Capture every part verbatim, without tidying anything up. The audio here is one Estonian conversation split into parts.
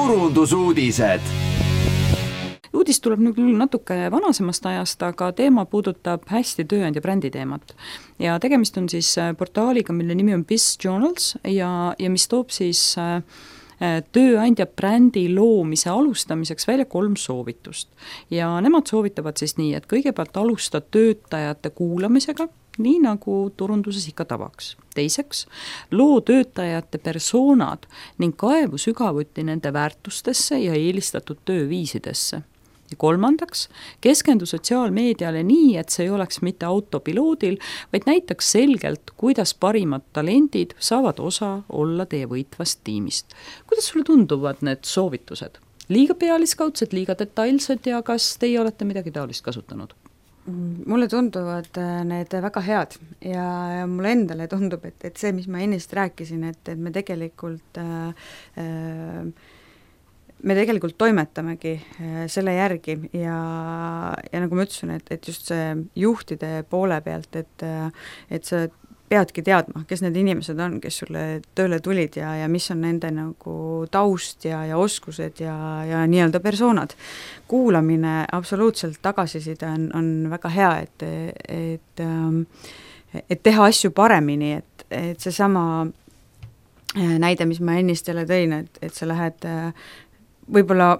turundusuudised. Uudis tuleb nüüd küll natuke vanasemast ajast, aga teema puudutab hästi tööandja brändi teemat. Ja tegemist on siis portaaliga, mille nimi on BizJournals ja, ja mis toob siis äh, tööandja brändi loomise alustamiseks välja kolm soovitust. Ja nemad soovitavad siis nii, et kõigepealt alusta töötajate kuulamisega, nii nagu turunduses ikka tavaks. Teiseks, loo töötajate persoonad ning kaevu sügavuti nende väärtustesse ja eelistatud tööviisidesse. Ja kolmandaks, keskendu sotsiaalmeediale nii, et see ei oleks mitte autopiloodil, vaid näitaks selgelt, kuidas parimad talendid saavad osa olla teie võitvast tiimist. Kuidas sulle tunduvad need soovitused? Liiga pealiskaudsed, liiga detailsed ja kas teie olete midagi taolist kasutanud? Mulle tunduvad need väga head ja, ja mulle endale tundub, et, et see, mis ma ennist rääkisin, et, et me tegelikult äh, äh, me tegelikult toimetamegi selle järgi ja, ja nagu ma ütlesin, et, et just see juhtide poole pealt, et, et sa peadki teadma, kes need inimesed on, kes sulle tööle tulid ja, ja mis on nende nagu taust ja, ja oskused ja, ja nii-öelda persoonad. Kuulamine, absoluutselt tagasiside on, on väga hea, et, et, et teha asju paremini, et, et see sama näide, mis ma ennist jälle tõin, et, et sa lähed võib-olla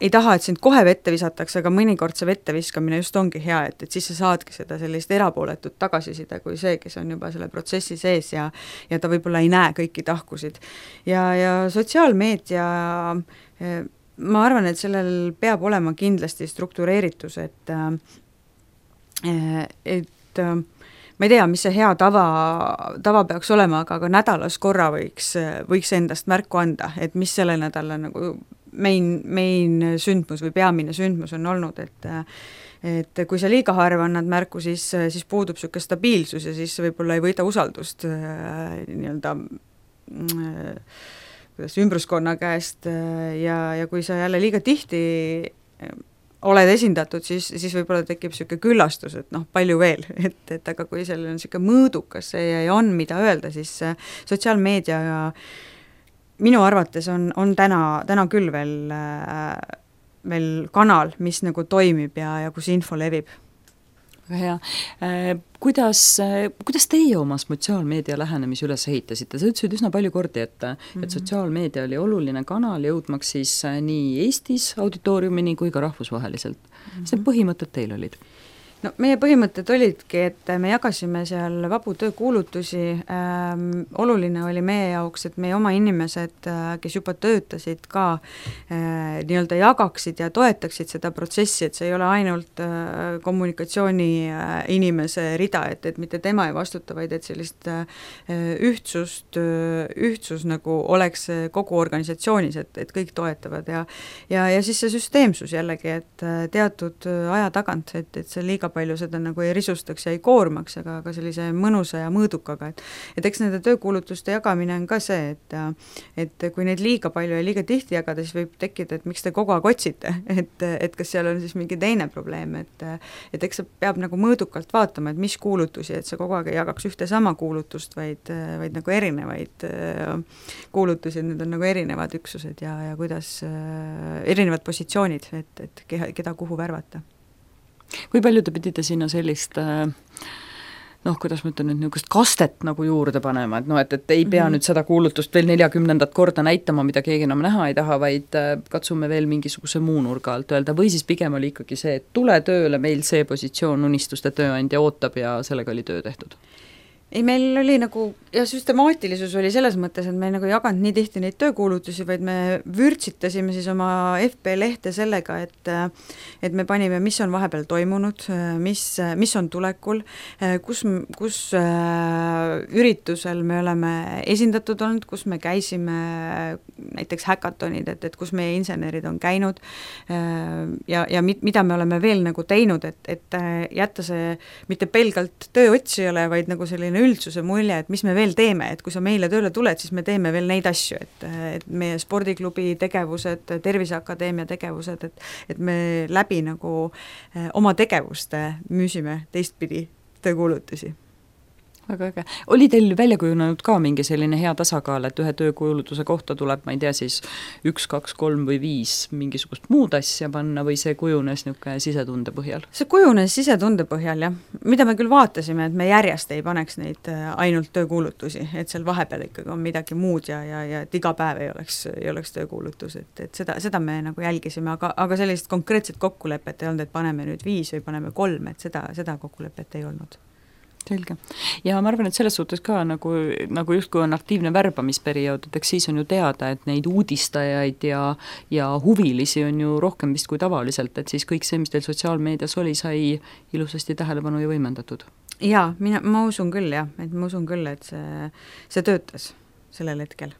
ei taha, et sind kohe vette visatakse, aga mõnikord see vette viskamine just ongi hea, et, et siis sa saadki seda sellist erapooletut tagasisida kui see, kes on juba selle protsessi sees ja, ja ta võib-olla ei näe kõiki tahkusid. Ja, ja sotsiaalmeedia, ma arvan, et sellel peab olema kindlasti struktureeritus, et, et ma ei tea, mis see hea tava, tava peaks olema, aga, aga nädalas korra võiks, võiks endast märku anda, et mis selle nädala nagu main, main sündmus või peamine sündmus on olnud, et et kui sa liiga harva annad märku, siis, siis puudub niisugune stabiilsus ja siis võib-olla ei võida usaldust nii-öelda kuidas ümbruskonna käest ja, ja kui sa jälle liiga tihti oled esindatud, siis, siis võib-olla tekib niisugune küllastus, et noh, palju veel, et, et aga kui sellel on niisugune mõõdukas see ja on, mida öelda, siis sotsiaalmeedia minu arvates on, on täna, täna küll veel, veel kanal, mis nagu toimib ja, ja kus info levib. Väga hea. Kuidas, kuidas teie oma sotsiaalmeedia lähenemisi üles ehitasite? Sa ütlesid üsna palju kordi, et, mm-hmm. et sotsiaalmeedia oli oluline kanal jõudmaks siis nii Eestis auditooriumini kui ka rahvusvaheliselt. Mm-hmm. Mis need põhimõtted teil olid? No meie põhimõtted olidki, et me jagasime seal vabu töökuulutusi, ähm, oluline oli meie jaoks, et meie oma inimesed, kes juba töötasid ka äh, nii-öelda jagaksid ja toetaksid seda protsessi, et see ei ole ainult äh, kommunikatsiooni äh, inimese rida, et, et mitte tema ei vastuta, vaid et sellist äh, ühtsust, ühtsus nagu oleks kogu organisatsioonis, et, et kõik toetavad ja, ja, ja siis see süsteemsus jällegi, et teatud aja tagant, et, et see liiga palju seda nagu ei risustaks ja ei koormaks, aga, aga sellise mõnusa ja mõõdukaga, et, et eks nende töökuulutuste jagamine on ka see, et, et kui neid liiga palju ja liiga tihti jagada, siis võib tekkida, et miks te kogu aeg otsite, et, et kas seal on siis mingi teine probleem, et, et eks see peab nagu mõõdukalt vaatama, et mis kuulutusi, et see kogu aeg ei jagaks ühte sama kuulutust, vaid, vaid nagu erinevaid kuulutusi, need on nagu erinevad üksused ja, ja kuidas erinevad positsioonid, et, et keda kuhu värvata. Kui palju te pidite sinna sellist, noh, kuidas ma ütlen nüüd, niisugust kastet nagu juurde panema, et noh, et, et ei pea mm-hmm. nüüd seda kuulutust veel neljakümnendat korda näitama, mida keegi enam näha ei taha, vaid katsume veel mingisuguse muu nurga alt öelda, või siis pigem oli ikkagi see, et tule tööle, meil see positsioon unistuste tööandja ootab ja sellega oli töö tehtud? Ei, meil oli nagu, ja süstemaatilisus oli selles mõttes, et me ei nagu jaganud nii tihti neid töökuulutusi, vaid me vürtsitasime siis oma F B lehte sellega, et, et me panime, mis on vahepeal toimunud, mis, mis on tulekul, kus, kus üritusel me oleme esindatud olnud, kus me käisime näiteks häkatonid, et, et kus meie insenerid on käinud ja, ja mida me oleme veel nagu teinud, et, et jätta see mitte pelgalt tööotsijale, vaid nagu selline üldsuse mulje, et mis me veel teeme, et kui sa meile tööle tuled, siis me teeme veel neid asju, et, et meie spordiklubi tegevused, Terviseakadeemia tegevused, et, et me läbi nagu oma tegevuste müüsime teistpidi töökuulutusi. väga äge. Oli teil välja kujunenud ka mingi selline hea tasakaal, et ühe töökuulutuse kohta tuleb, ma ei tea, siis üks, kaks, kolm või viis mingisugust muud asja panna või see kujunes niisugune sisetunde põhjal? See kujunes sisetunde põhjal, jah. Mida me küll vaatasime, et me järjest ei paneks neid ainult töökuulutusi, et seal vahepeal ikkagi on midagi muud ja, ja, ja et iga päev ei oleks, ei oleks töökuulutus, et, et seda, seda me nagu jälgisime, aga, aga sellist konkreetset kokkulepet ei olnud, et paneme nüüd viis või paneme kolm, et seda, seda kokkulepet ei olnud. Selge. Ja ma arvan, et selles suhtes ka nagu, nagu justkui on aktiivne värbamisperiood, et eks siis on ju teada, et neid uudistajaid ja, ja huvilisi on ju rohkem vist kui tavaliselt, et siis kõik see, mis teil sotsiaalmeedias oli, sai ilusasti tähelepanu ja võimendatud. Jaa, mina, ma usun küll jah, et ma usun küll, et see, see töötas sellel hetkel.